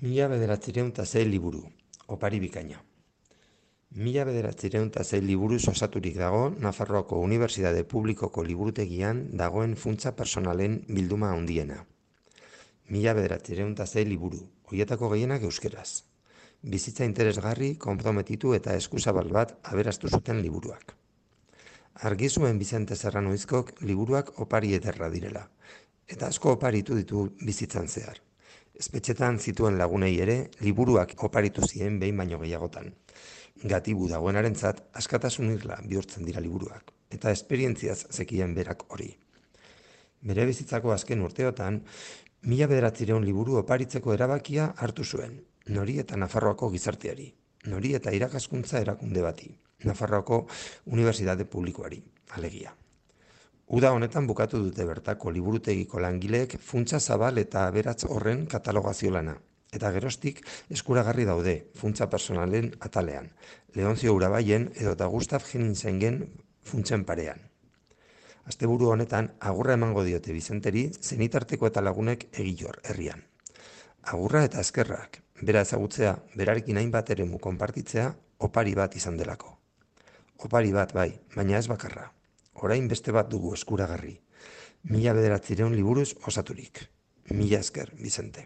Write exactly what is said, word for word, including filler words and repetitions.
Mila bederatziehun eta sei liburu, opari bikaina. Mila bederatziehun eta sei liburuz osaturik dago Nafarroako Unibertsitate Publikoko liburutegian dagoen funtsa personalen bilduma handiena. Mila bederatziehun eta sei liburu, horietako gehienak euskeraz. Bizitza interesgarri, konprometitu eta eskuzabal bat aberastu zuten liburuak. Argi zuen Bizente Serranoizkok liburuak opari ederra direla, eta asko oparitu ditu bizitzan zehar. Espetxetan zituen lagunei ere, liburuak oparitu ziren behin baino gehiagotan. Gatibu dagoenarentzat askatasun irla bihurtzen dira liburuak, eta esperientziaz zekien berak hori. Bere bizitzako azken urteotan, mila bederatziehun liburu oparitzeko erabakia hartu zuen, nori eta Nafarroako gizarteari, nori eta irakaskuntza erakunde bati, Nafarroako Unibertsitate Publikoari, alegia. Uda honetan bukatu dute bertako liburutegiko langileek funtsa zabal eta aberats horren katalogazio lana. Eta geroztik eskuragarri daude funtsa personalen atalean, Leonzio Urabaien edo eta Gustav Henningsengen funtsen parean. Asteburu honetan agurra emango diote Bizenteri zenitarteko eta lagunek egilor herrian. Agurra eta eskerrak, bera ezagutzea, berarekin hainbat eremu konpartitzea, opari bat izan delako. Opari bat bai, baina ez bakarra. Orain beste bat dugu eskuragarri. Mila bederatziehun liburuz osaturik. Mila esker, Bizente.